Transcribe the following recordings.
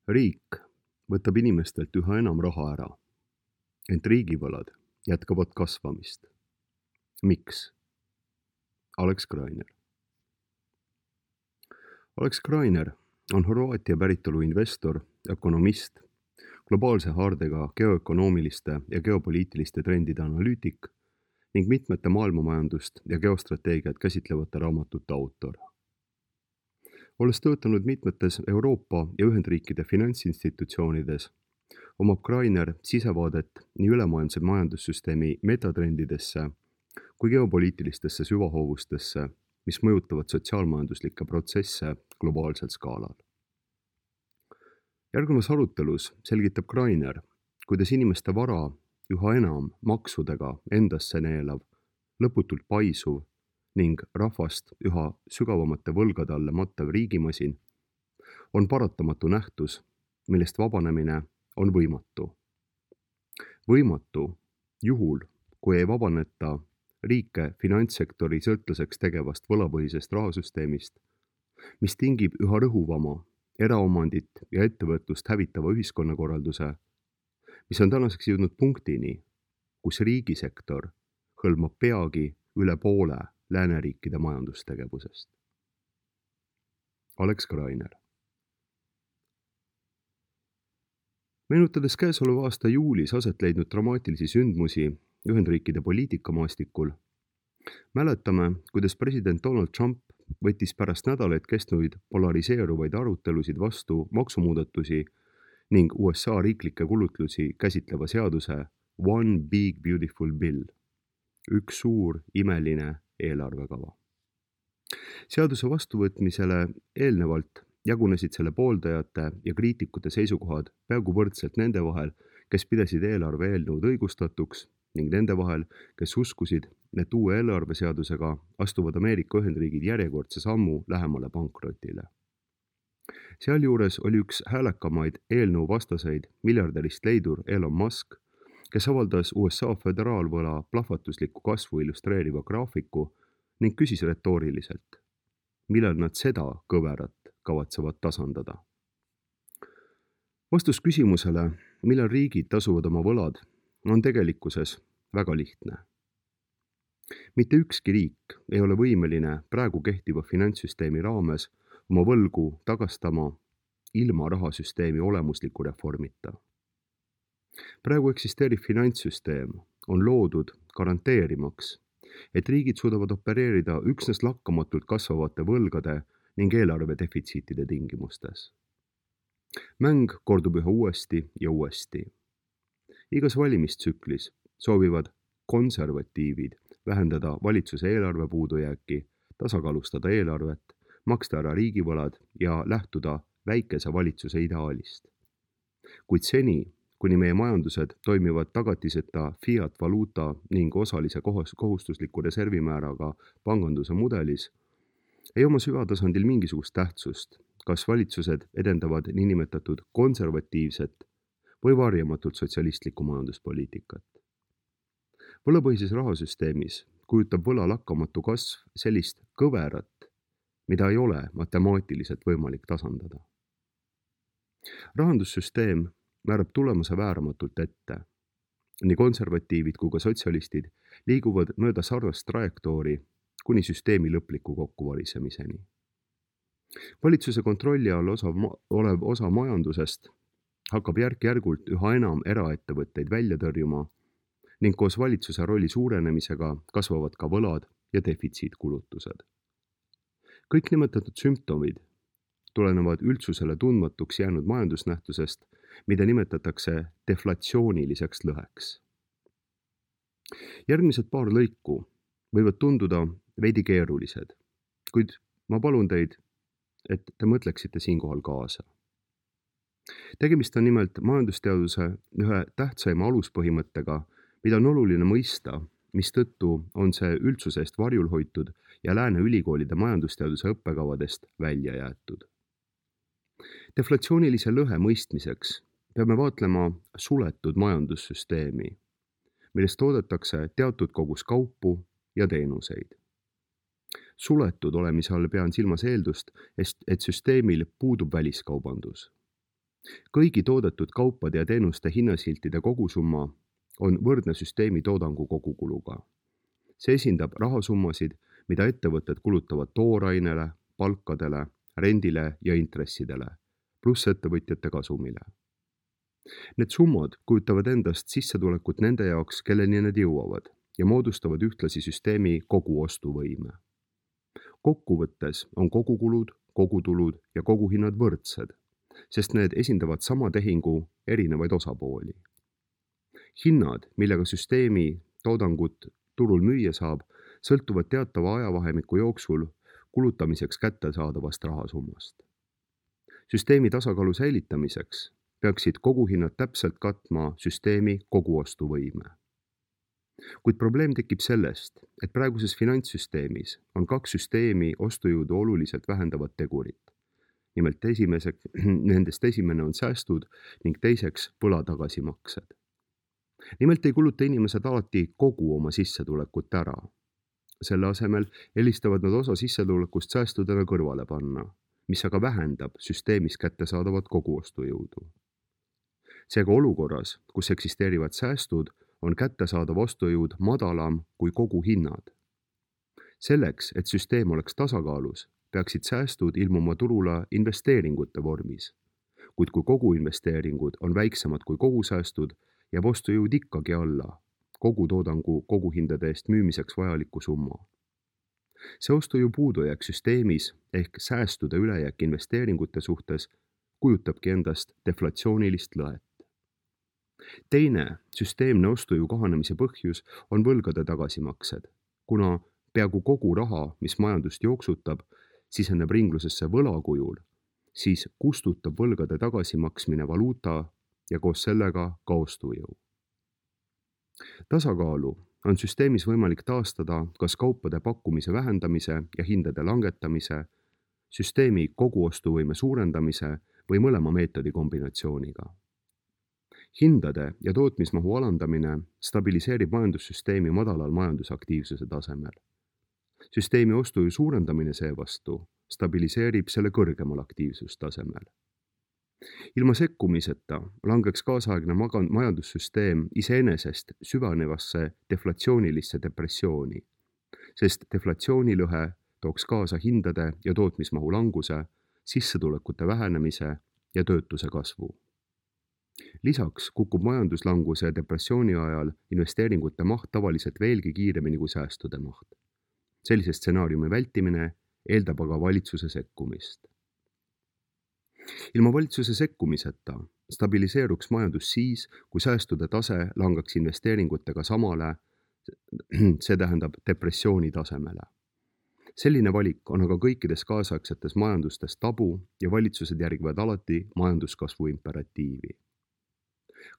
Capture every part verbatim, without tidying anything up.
Riik võtab inimestelt üha enam raha ära, ent riigivõlad jätkavad kasvamist. Miks? Alex Greiner. Alex Greiner on Horvaatia päritolu investor, ökonomist, globaalse haardega geoökonoomiliste ja geopoliitiliste trendide analüütik ning mitmete maailmamajandust ja geostrateegiat käsitlevate raamatute autor. Olles töötanud mitmetes Euroopa ja Ühendriikide finantsinstitutsioonides, omab Greiner sisevaadet nii ülemaailmse majandussüsteemi metatrendidesse kui geopoliitilistesse süvahoovustesse, mis mõjutavad sotsiaalmajanduslikke protsesse globaalsel skaalal. Järgnevas arutelus selgitab Greiner, kuidas inimeste vara üha enam maksudega endasse neelav, lõputult paisuv ning rahvast üha sügavamate võlgade alle mattev riigimasin on paratamatu nähtus, millest vabanemine on võimatu. Võimatu juhul, kui ei vabaneta riike finantssektori sõltlaseks tegevast võlapõhisest rahasüsteemist, mis tingib üha rõhuvama eraomandit ja ettevõtlust hävitava ühiskonnakorralduse, mis on tänaseks jõudnud punktini, kus riigisektor hõlmab peagi üle poole lääneriikide majandustegevusest. Alex Greiner. Meenutades käesoleva aasta juulis aset leidnud dramaatilisi sündmusi Ühendriikide poliitikamaastikul, mäletame, kuidas president Donald Trump võttis pärast nädalaid kestnuid polariseeruvaid arutelusid vastu maksumuudatusi ning U S A riiklikke kulutlusi käsitleva seaduse One Big Beautiful Bill, üks suur imeline eelarvekava. Seaduse vastuvõtmisele eelnevalt jagunesid selle pooldajate ja kriitikute seisukohad peaaegu võrdselt nende vahel, kes pidasid eelarve eelnõud õigustatuks ning nende vahel, kes uskusid, et uue eelarveseadusega astuvad Ameerika Ühendriigid järjekordse sammu lähemale pankrotile. Sealjuures oli üks häälekamaid eelnõu vastaseid miljardärist leidur Elon Musk, kes avaldas U S A föderaalvõla plahvatuslikku kasvu illustreeriva graafiku ning küsis retooriliselt, millal nad seda kõverat kavatsevad tasandada. Vastus küsimusele, millal riigid tasuvad oma võlad, on tegelikkuses väga lihtne. Mitte ükski riik ei ole võimeline praegu kehtiva finantssüsteemi raames oma võlgu tagastama ilma rahasüsteemi olemusliku reformita. Praegu eksisteeriv finantssüsteem on loodud garanteerimaks, et riigid suudavad opereerida üksnes lakkamatult kasvavate võlgade ning eelarve defitsiitide tingimustes. Mäng kordub üha uuesti ja uuesti. Igas valimistsüklis soovivad konservatiivid vähendada valitsuse eelarve puudujääki, tasakaalustada eelarvet, maksta ära riigivõlad ja lähtuda väikese valitsuse ideaalist. Kuid seni, kuni meie majandused toimivad tagatiseta fiat-valuuta ning osalise kohustusliku reservimääraga panganduse mudelis, ei oma süvatasandil mingisugust tähtsust, kas valitsused edendavad niinimetatud konservatiivset või varjamatult sotsialistlikku majanduspoliitikat. Võlapõhises rahasüsteemis kujutab võla lakkamatu kasv sellist kõverat, mida ei ole matemaatiliselt võimalik tasandada. Rahandussüsteem määrab tulemuse vääramatult ette. Nii konservatiivid kui ka sotsialistid liiguvad mööda sarnast trajektoori kuni süsteemi lõpliku kokkuvarisemiseni. Valitsuse kontrolli all osa, olev osa majandusest hakkab järk-järgult üha enam eraettevõtteid välja tõrjuma ning koos valitsuse rolli suurenemisega kasvavad ka võlad ja defitsiitkulutused. Kõik nimetatud sümptomid tulenevad üldsusele tundmatuks jäänud majandusnähtusest, mida nimetatakse deflatsiooniliseks lõheks. Järgmised paar lõiku võivad tunduda veidi keerulised, kuid ma palun teid, et te mõtleksite siinkohal kaasa. Tegemist on nimelt majandusteaduse ühe tähtsaima aluspõhimõttega, mida on oluline mõista, mistõttu on see üldsuse eest varjul hoitud ja lääne ülikoolide majandusteaduse õppekavadest välja jäetud. Deflatsioonilise lõhe mõistmiseks peame vaatlema suletud majandussüsteemi, millest toodetakse teatud kogus kaupu ja teenuseid. Suletud olemise all pean silmas eeldust, et süsteemil puudub väliskaubandus. Kõigi toodetud kaupade ja teenuste hinnasiltide kogusumma on võrdne süsteemi toodangu kogukuluga. See esindab rahasummasid, mida ettevõtted kulutavad toorainele, palkadele, rendile ja intressidele, pluss ettevõtjate kasumile. Need summad kujutavad endast sissetulekut nende jaoks, kelleni need jõuavad ja moodustavad ühtlasi süsteemi koguostuvõime. Kokkuvõttes on kogukulud, kogutulud ja koguhinnad võrdsed, sest need esindavad sama tehingu erinevaid osapooli. Hinnad, millega süsteemi toodangut turul müüa saab, sõltuvad teatava ajavahemiku jooksul kulutamiseks kättesaadavast rahasummast. Süsteemi tasakaalu säilitamiseks peaksid koguhinnad täpselt katma süsteemi koguostuvõime. Kuid probleem tekib sellest, et praeguses finantssüsteemis on kaks süsteemi ostujõudu oluliselt vähendavat tegurit. Nimelt esimese, nendest esimene on säästud ning teiseks võla tagasimaksed. Nimelt ei kuluta inimesed alati kogu oma sissetulekut ära. Selle asemel eelistavad nad osa sissetulekust säästudena kõrvale panna, mis aga vähendab süsteemis kättesaadavat koguostujõudu. Seega olukorras, kus eksisteerivad säästud, on kättesaadav ostujõud madalam kui koguhinnad. Selleks, et süsteem oleks tasakaalus, peaksid säästud ilmuma turule investeeringute vormis, kuid kui koguinvesteeringud on väiksemad kui kogusäästud, jääb ostujõud ikkagi alla kogutoodangu koguhindade eest müümiseks vajaliku summa. See ostujõu puudujääk süsteemis ehk säästude ülejääk investeeringute suhtes kujutabki endast deflatsioonilist lõhet. Teine süsteemne ostujõu kahanemise põhjus on võlgade tagasimaksed, kuna peaaegu kogu raha, mis majandust jooksutab, siseneb ringlusesse võla kujul, siis kustutab võlgade tagasimaksmine valuuta ja koos sellega ka ostujõu. Tasakaalu on süsteemis võimalik taastada kas kaupade pakkumise vähendamise ja hindade langetamise, süsteemi koguostuvõime suurendamise või mõlema meetodi kombinatsiooniga. Hindade ja tootmismahu alandamine stabiliseerib majandussüsteemi madalal majandusaktiivsuse tasemel. Süsteemi ostujõu suurendamine seevastu stabiliseerib selle kõrgemal aktiivsustasemel. Ilma sekkumiseta langeks kaasaegne majandussüsteem iseenesest süvenevasse deflatsioonilisse depressiooni, sest deflatsioonilõhe tooks kaasa hindade ja tootmismahu languse, sissetulekute vähenemise ja töötuse kasvu. Lisaks kukub majanduslanguse ja depressiooni ajal investeeringute maht tavaliselt veelgi kiiremini kui säästude maht. Sellise stsenaariumi vältimine eeldab aga valitsuse sekkumist. Ilma valitsuse sekkumiseta stabiliseeruks majandus siis, kui säästude tase langaks investeeringutega samale, see tähendab depressiooni tasemele. Selline valik on aga kõikides kaasaegsetes majandustes tabu ja valitsused järgivad alati majanduskasvu imperatiivi.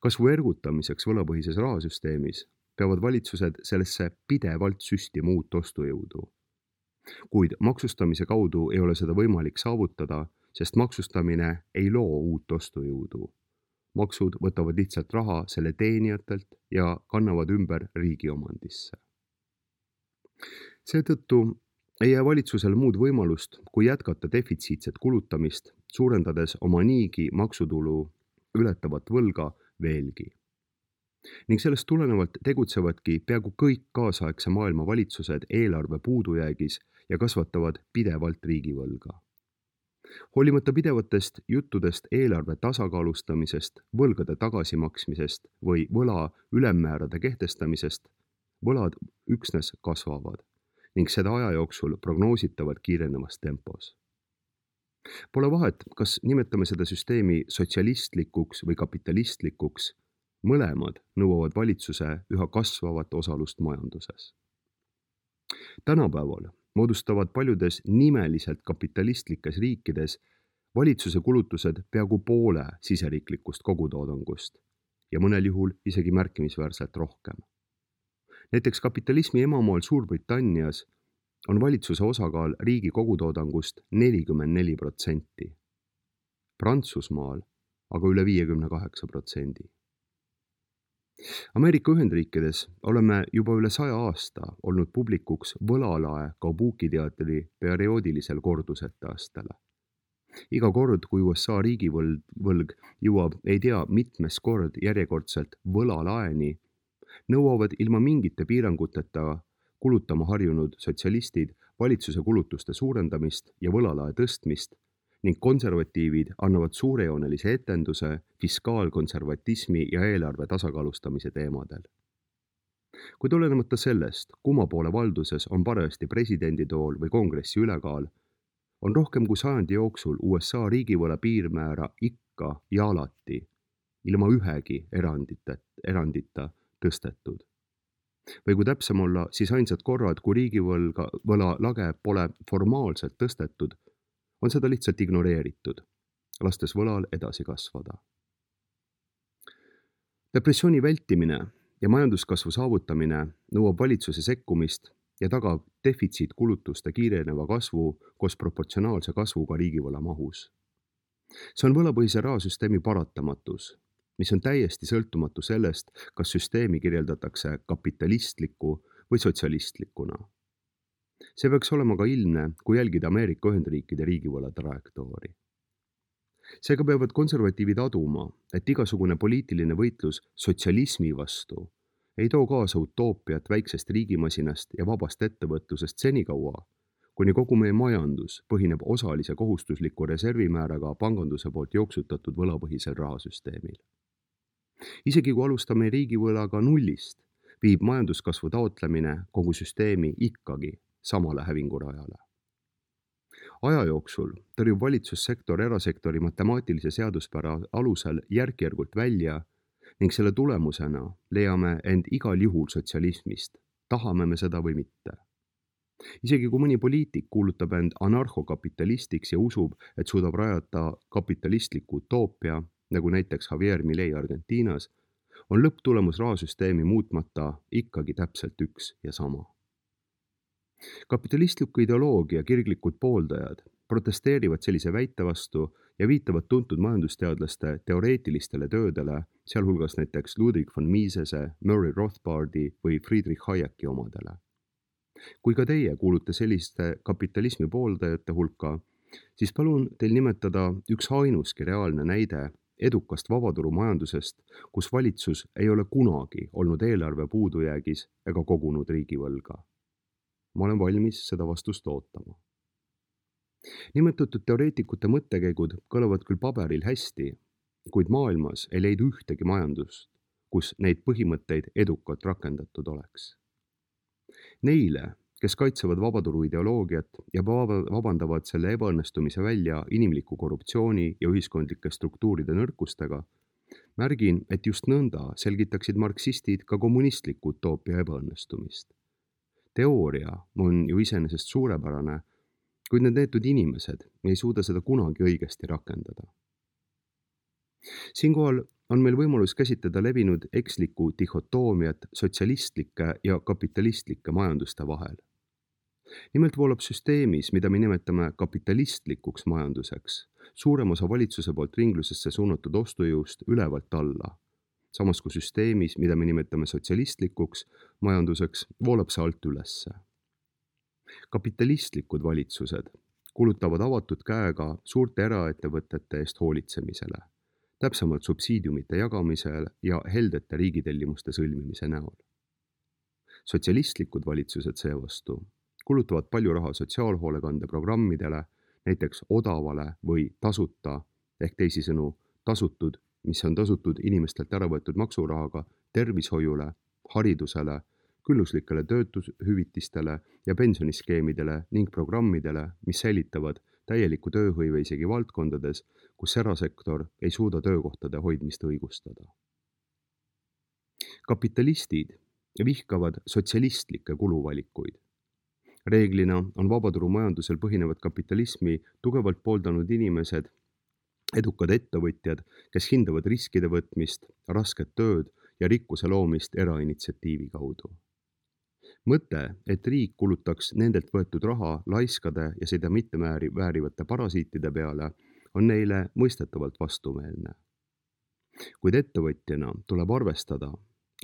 Kasvu ergutamiseks võlapõhises rahasüsteemis peavad valitsused sellesse pidevalt süstima uut ostujõudu. Kuid maksustamise kaudu ei ole seda võimalik saavutada, sest maksustamine ei loo uut ostujõudu. Maksud võtavad lihtsalt raha selle teenijatelt ja kannavad ümber riigi omandisse. Seetõttu ei jää valitsusel muud võimalust, kui jätkata defitsiitset kulutamist, suurendades oma niigi maksutulu ületavat võlga veelgi. Ning sellest tulenevalt tegutsevadki peaaegu kõik kaasaegse maailma valitsused eelarve puudujäägis ja kasvatavad pidevalt riigivõlga. Hoolimata pidevatest juttudest eelarve tasakaalustamisest, võlgade tagasimaksmisest või võla ülemmäärade kehtestamisest, võlad üksnes kasvavad ning seda aja jooksul prognoositavad kiirenevas tempos. Pole vahet, kas nimetame seda süsteemi sotsialistlikuks või kapitalistlikuks, mõlemad nõuavad valitsuse üha kasvavat osalust majanduses. Tänapäeval moodustavad paljudes nimeliselt kapitalistlikes riikides valitsuse kulutused peaaegu poole siseriiklikust kogutoodangust ja mõnel juhul isegi märkimisväärselt rohkem. Näiteks kapitalismi emamaal Suurbritannias on valitsuse osakaal riigi kogutoodangust nelikümmend neli protsenti. Prantsusmaal aga üle viiekümne kaheksa protsendi. Ameerika Ühendriikides oleme juba üle saja aasta olnud publikuks võlalae Kabuki teatri perioodilisel kordusetaastele. Iga kord, kui U S A riigivõlg võlg jõuab ei tea mitmes kord järjekordselt võlalaeni, nõuavad ilma mingite piiranguteta kulutama harjunud sotsialistid valitsuse kulutuste suurendamist ja võlalae tõstmist ning konservatiivid annavad suurejoonelise etenduse fiskaalkonservatismi ja eelarve tasakaalustamise teemadel. Kuid olenemata sellest, kumma poole valduses on parajasti presidenditool või kongressi ülekaal, on rohkem kui sajandi jooksul U S A riigivõla piirmäära ikka ja alati ilma ühegi erandita, erandita tõstetud. Või kui täpsem olla, siis ainsad korrad, kui riigivõlga võla lage pole formaalselt tõstetud, on seda lihtsalt ignoreeritud, lastes võlal edasi kasvada. Depressiooni vältimine ja majanduskasvu saavutamine nõuab valitsuse sekkumist ja tagab defitsiitkulutuste kiireneva kasvu koos proportsionaalse kasvuga riigivõla mahus. See on võlapõhise rahasüsteemi paratamatus, mis on täiesti sõltumatu sellest, kas süsteemi kirjeldatakse kapitalistliku või sotsialistlikuna. See peaks olema ka ilmne, kui jälgida Ameerika Ühendriikide riigivõla trajektoori. Seega peavad konservatiivid aduma, et igasugune poliitiline võitlus sotsialismi vastu ei too kaasa utoopiat väiksest riigimasinast ja vabast ettevõtlusest senikaua, kuni kogu meie majandus põhineb osalise kohustusliku reservimääraga panganduse poolt jooksutatud võlapõhisel rahasüsteemil. Isegi kui alustame riigivõlaga nullist, viib majanduskasvu taotlemine kogu süsteemi ikkagi samale hävingurajale. Aja jooksul tõrjub valitsussektor erasektori matemaatilise seaduspära alusel järk-järgult välja ning selle tulemusena leiame end igal juhul sotsialismist, tahame me seda või mitte. Isegi kui mõni poliitik kuulutab end anarhokapitalistiks ja usub, et suudab rajata kapitalistliku utoopia, nagu näiteks Javier Milei Argentiinas, on lõpptulemus rahasüsteemi muutmata ikkagi täpselt üks ja sama. Kapitalistliku ideoloogia kirglikud pooldajad protesteerivad sellise väite vastu ja viitavad tuntud majandusteadlaste teoreetilistele töödele, sealhulgas näiteks Ludwig von Misese, Murray Rothbardi või Friedrich Hayeki omadele. Kui ka teie kuulute selliste kapitalismi pooldajate hulka, siis palun teil nimetada üks ainuski reaalne näide edukast vabaturumajandusest, kus valitsus ei ole kunagi olnud eelarve puudujäägis ega kogunud riigivõlga. Ma olen valmis seda vastust ootama. Nimetatud teoreetikute mõttekäigud kõlavad küll paberil hästi, kuid maailmas ei leidu ühtegi majandust, kus neid põhimõtteid edukalt rakendatud oleks. Neile, kes kaitsevad vabaturu ideoloogiat ja vabandavad selle ebaõnnestumise välja inimliku korruptsiooni ja ühiskondlike struktuuride nõrkustega, märgin, et just nõnda selgitaksid marksistid ka kommunistliku utoopia ebaõnnestumist. Teooria on ju iseenesest suurepärane, kuid need neetud inimesed ei suuda seda kunagi õigesti rakendada. Siinkohal on meil võimalus käsitleda levinud ekslikku dihhotoomiat sotsialistlike ja kapitalistlike majanduste vahel. Nimelt voolab süsteemis, mida me nimetame kapitalistlikuks majanduseks, suurem osa valitsuse poolt ringlusesse suunatud ostujõust ülevalt alla, samas kui süsteemis, mida me nimetame sotsialistlikuks majanduseks, voolab see alt ülesse. Kapitalistlikud valitsused kulutavad avatud käega suurte eraettevõtete eest hoolitsemisele, täpsemalt subsiidiumite jagamisel ja heldete riigitellimuste sõlmimise näol. Sotsialistlikud valitsused seevastu kulutavad palju raha sotsiaalhoolekande programmidele, näiteks odavale või tasuta, ehk teisisõnu tasutud, mis on tasutud inimestelt ära võetud maksurahaga, tervishoiule, haridusele, külluslikele töötushüvitistele ja pensioniskeemidele ning programmidele, mis säilitavad täieliku tööhõive isegi valdkondades, kus erasektor ei suuda töökohtade hoidmist õigustada. Kapitalistid vihkavad sotsialistlikke kuluvalikuid. Reeglina on vabaturumajandusel põhinevat kapitalismi tugevalt pooldanud inimesed, edukad ettevõtjad, kes hindavad riskide võtmist, rasket tööd ja rikkuse loomist erainitsiatiivi kaudu. Mõte, et riik kulutaks nendelt võetud raha laiskade ja seda mitte väärivate parasiitide peale, on neile mõistetavalt vastumeelne. Kuid ettevõtjana tuleb arvestada,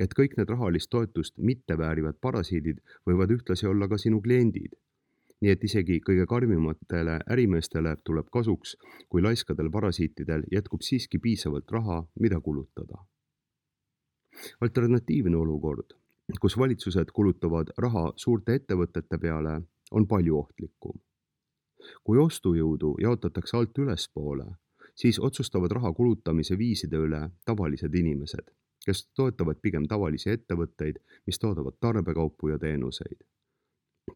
et kõik need rahalist toetust mitte väärivad parasiidid võivad ühtlasi olla ka sinu kliendid nii et isegi kõige karmimatele ärimeestele tuleb kasuks, kui laiskadel parasiitidel jätkub siiski piisavalt raha, mida kulutada. Alternatiivne olukord, kus valitsused kulutavad raha suurte ettevõtete peale, on palju ohtlikum. Kui ostujõudu jaotatakse alt ülespoole, siis otsustavad raha kulutamise viiside üle tavalised inimesed, kes toetavad pigem tavalisi ettevõtteid, mis toodavad tarbekaupu ja teenuseid.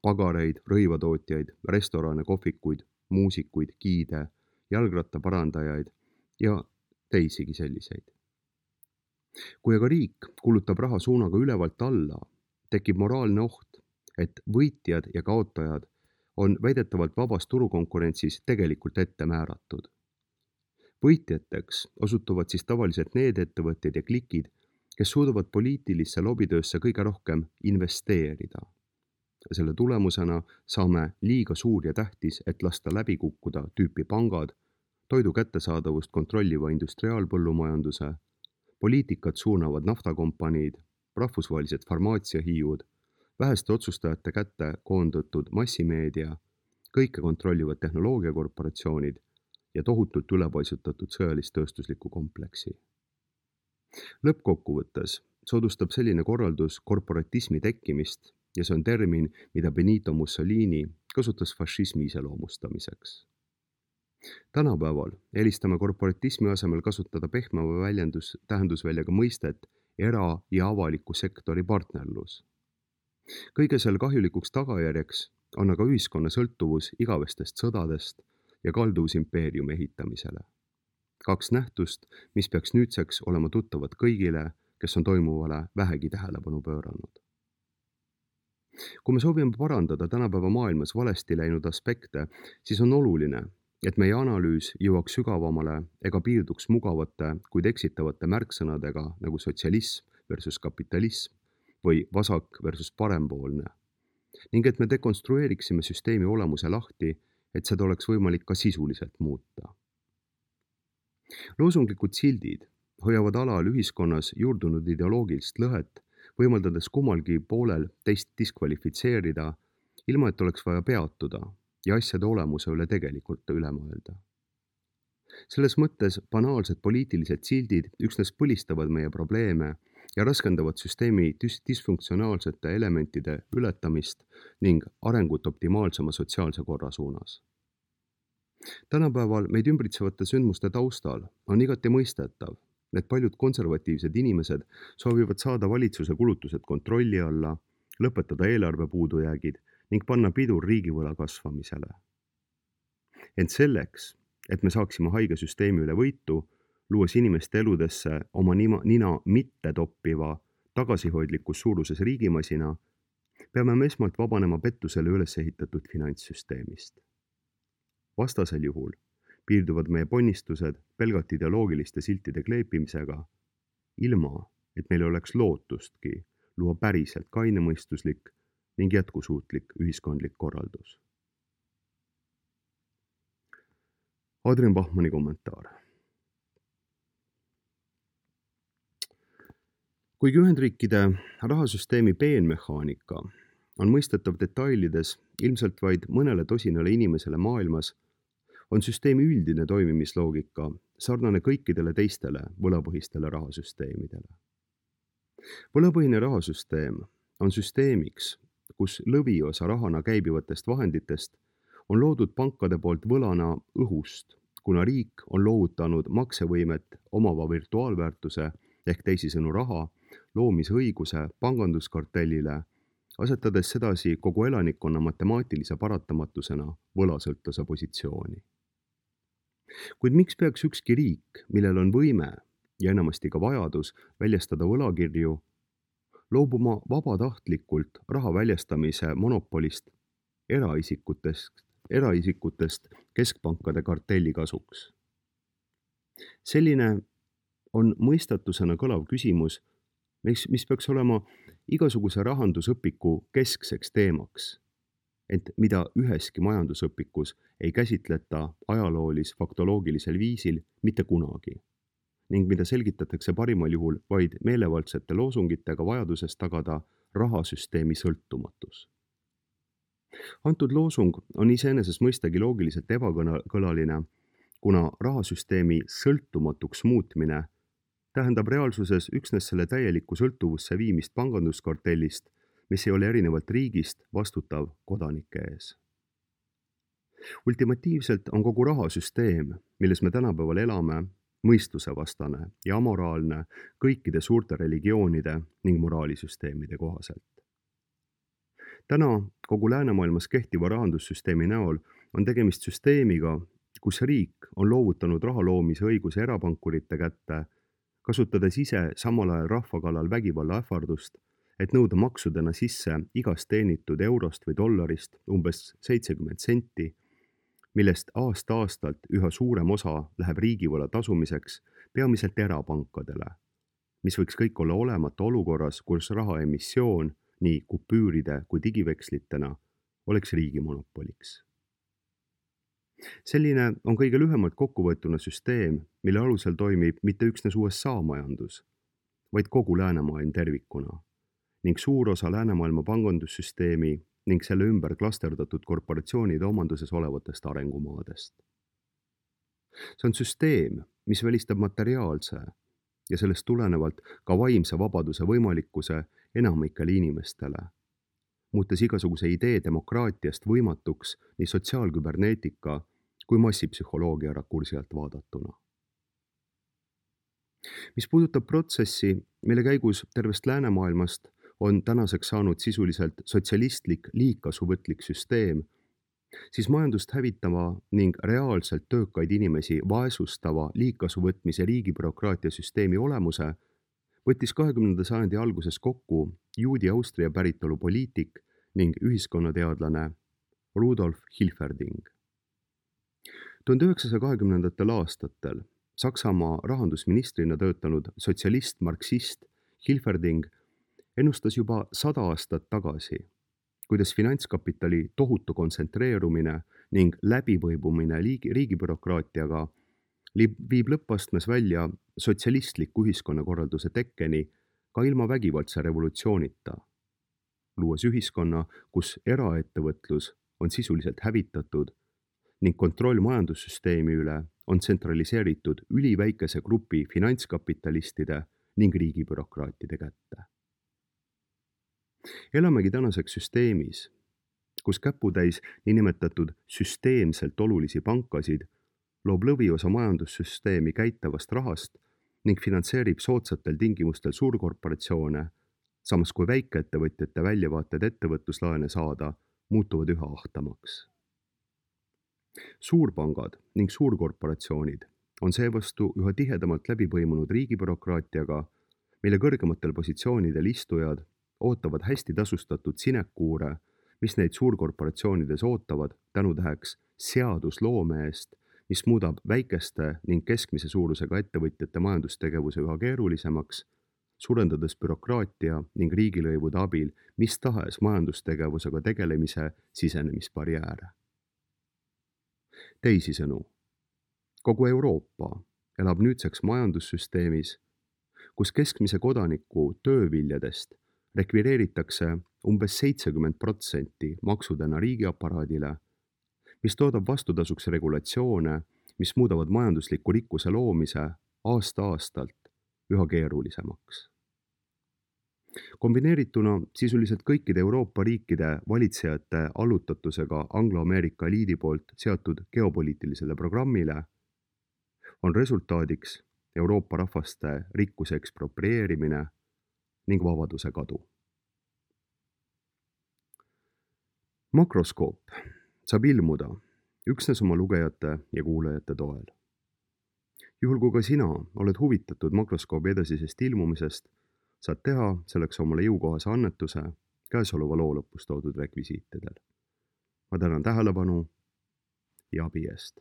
Pagareid, rõivatootjaid, restorane, kohvikuid, muusikuid, giide, jalgrattaparandajaid ja teisigi selliseid. Kui aga riik kulutab raha suunaga ülevalt alla, tekib moraalne oht, et võitjad ja kaotajad on väidetavalt vabas turukonkurentsis tegelikult ette määratud. Võitjateks osutuvad siis tavaliselt need ettevõtjad ja klikid, kes suudavad poliitilisse lobitöösse kõige rohkem investeerida. Selle tulemusena saame liiga suur ja tähtis, et lasta läbi kukkuda tüüpi pangad, toidu kättesaadavust kontrolliva industriaalpõllumajanduse, poliitikat suunavad naftakompaniid, rahvusvahelised farmaatsiahiiud, väheste otsustajate kätte koondatud massimeedia, kõike kontrollivad tehnoloogiakorporatsioonid ja tohutult ülepaisutatud sõjalist-tööstusliku kompleksi. Lõppkokkuvõttes soodustab selline korraldus korporatismi tekkimist ja see on termin, mida Benito Mussolini kasutas fašismi iseloomustamiseks. Tänapäeval eelistame korporatismi asemel kasutada pehmema väljendus tähendusväljaga mõistet era- ja avaliku sektori partnerlus. Kõige selle kahjulikuks tagajärjeks on aga ühiskonna sõltuvus igavestest sõdadest ja kalduvus impeeriumi ehitamisele. Kaks nähtust, mis peaks nüüdseks olema tuttavad kõigile, kes on toimuvale vähegi tähelepanu pööranud. Kui me soovime parandada tänapäeva maailmas valesti läinud aspekte, siis on oluline, et meie analüüs jõuaks sügavamale ega piirduks mugavate, kuid eksitavate märksõnadega nagu sotsialism versus kapitalism või vasak versus parempoolne, ning et me dekonstrueeriksime süsteemi olemuse lahti, et seda oleks võimalik ka sisuliselt muuta. Loosunglikud sildid hoiavad alal ühiskonnas juurdunud ideoloogilist lõhet, võimaldades kummalgi poolel teist diskvalifitseerida, ilma et oleks vaja peatuda ja asjade olemuse üle tegelikult üle mõelda. Selles mõttes banaalsed poliitilised sildid üksnes põlistavad meie probleeme ja raskendavad süsteemi dis- disfunktsionaalsete elementide ületamist ning arengut optimaalsema sotsiaalse korra suunas. Tänapäeval meid ümbritsevate sündmuste taustal on igati mõistetav, et paljud konservatiivsed inimesed soovivad saada valitsuse kulutused kontrolli alla, lõpetada eelarve puudujäägid ning panna pidur riigivõla kasvamisele. Ent selleks, et me saaksime haige süsteemi üle võitu, luues inimeste eludesse oma nima, nina mitte toppiva tagasihoidlikus suuruses riigimasina, peame me esmalt vabanema pettusele üles ehitatud finantssüsteemist. Vastasel juhul piirduvad meie ponnistused pelgalt ideoloogiliste siltide kleepimisega, ilma et meil oleks lootustki luua päriselt kainemõistuslik ning jätkusuutlik ühiskondlik korraldus. Adrian Bachmanni kommentaar. Kuigi Ühendriikide rahasüsteemi peenmehaanika on mõistetav detailides ilmselt vaid mõnele tosinale inimesele maailmas, on süsteemi üldine toimimisloogika sarnane kõikidele teistele võlapõhistele rahasüsteemidele. Võlapõhine rahasüsteem on süsteemiks, kus lõviosa rahana käibivatest vahenditest on loodud pankade poolt võlana õhust, kuna riik on loovutanud maksevõimet omava virtuaalväärtuse ehk teisisõnu raha loomise õiguse panganduskartellile, asetades sedasi kogu elanikkonna matemaatilise paratamatusena võlasõltlase positsiooni. Kuid miks peaks ükski riik, millel on võime ja enamasti ka vajadus väljastada võlakirju, loobuma vabatahtlikult raha väljastamise monopolist eraisikutest, eraisikutest keskpankade kartelli kasuks? Selline on mõistatusena kõlav küsimus, mis, mis peaks olema igasuguse rahandusõpiku keskseks teemaks, ent mida üheski majandusõpikus ei käsitleta ajaloolis-faktoloogilisel viisil mitte kunagi, ning mida selgitatakse parimal juhul vaid meelevaldsete loosungitega vajadusest tagada rahasüsteemi sõltumatus. Antud loosung on iseenesest mõistagi loogiliselt ebakõlaline, kuna rahasüsteemi sõltumatuks muutmine tähendab reaalsuses üksnes selle täielikku sõltuvusse viimist panganduskartellist, mis ei ole erinevalt riigist vastutav kodanike ees. Ultimatiivselt on kogu rahasüsteem, milles me tänapäeval elame, mõistusevastane ja amoraalne kõikide suurte religioonide ning moraalisüsteemide kohaselt. Täna kogu läänemaailmas kehtiva rahandussüsteemi näol on tegemist süsteemiga, kus riik on loovutanud raha loomise õiguse erapankurite kätte, kasutades ise samal ajal rahva kallal vägivalla ähvardust, et nõuda maksudena sisse igast teenitud eurost või dollarist umbes seitsekümmend senti, millest aasta-aastalt üha suurem osa läheb riigivõla tasumiseks peamiselt erapankadele, mis võiks kõik olla olemata olukorras, kus raha emissioon nii kupüüride kui digivekslitena oleks riigi monopoliks. Selline on kõige lühemalt kokkuvõetuna süsteem, mille alusel toimib mitte üksnes U S A majandus, vaid kogu läänemaailm tervikuna ning suur osa läänemaailma pangandussüsteemi ning selle ümber klasterdatud korporatsioonide omanduses olevatest arengumaadest. See on süsteem, mis välistab materiaalse ja sellest tulenevalt ka vaimse vabaduse võimalikkuse enamikele inimestele, muutes igasuguse idee demokraatiast võimatuks nii sotsiaalküberneetika kui massipsühholoogia rakursi alt vaadatuna. Mis puudutab protsessi, mille käigus tervest läänemaailmast on tänaseks saanud sisuliselt sotsialistlik liigkasuvõtlik süsteem, siis majandust hävitava ning reaalselt töökaid inimesi vaesustava liigkasuvõtmise riigibürokraatia süsteemi olemuse võttis kahekümnenda sajandi alguses kokku juudi-Austria päritolu poliitik ning ühiskonnateadlane Rudolf Hilferding. tuhande üheksasaja kahekümnendatel aastatel Saksamaa rahandusministrina töötanud sotsialist-marksist Hilferding ennustas juba sada aastat tagasi, kuidas finantskapitali tohutu kontsentreerumine ning läbivõibumine riigibürokraatiaga viib lõppastmes välja sotsialistliku ühiskonnakorralduse tekkeni ka ilma vägivaldse revolutsioonita, luues ühiskonna, kus eraettevõtlus on sisuliselt hävitatud ning kontroll majandussüsteemi üle on tsentraliseeritud üliväikese grupi finantskapitalistide ning riigibürokraatide kätte. Elamegi tänaseks süsteemis, kus käputäis niinimetatud süsteemselt olulisi pankasid loob lõviosa majandussüsteemi käitavast rahast ning finantseerib soodsatel tingimustel suurkorporatsioone, samas kui väikeettevõtjate väljavaated ettevõtluslaene saada muutuvad üha ahtamaks. Suurpangad ning suurkorporatsioonid on seevastu üha tihedamalt läbi põimunud riigibürokraatiaga, mille kõrgematel positsioonidel istujad ootavad hästi tasustatud sinekuure, mis neid suurkorporatsioonides ootavad tänutäheks seadusloome eest, mis muudab väikeste ning keskmise suurusega ettevõtjate majandustegevuse üha keerulisemaks, suurendades bürokraatia ning riigilõivude abil mis tahes majandustegevusega tegelemise sisenemisbarjääre. Teisisõnu, kogu Euroopa elab nüüdseks majandussüsteemis, kus keskmise kodaniku tööviljadest rekvireeritakse umbes seitsekümmend protsenti maksudena riigiaparaadile, mis toodab vastutasuks regulatsioone, mis muudavad majandusliku rikkuse loomise aasta-aastalt üha keerulisemaks. Kombineerituna sisuliselt kõikide Euroopa riikide valitsejate allutatusega Anglo-Ameerika eliidi poolt seatud geopoliitilisele programmile on resultaadiks Euroopa rahvaste rikkuse eksproprieerimine ning vabaduse kadu. Makroskoop saab ilmuda üksnes oma lugejate ja kuulajate toel. Juhul kui ka sina oled huvitatud makroskoobi edasisest ilmumisest, saad teha selleks omale jõukohase annetuse käesoleva loo lõpus toodud rekvisiitidel. Ma tänan tähelepanu ja abi eest.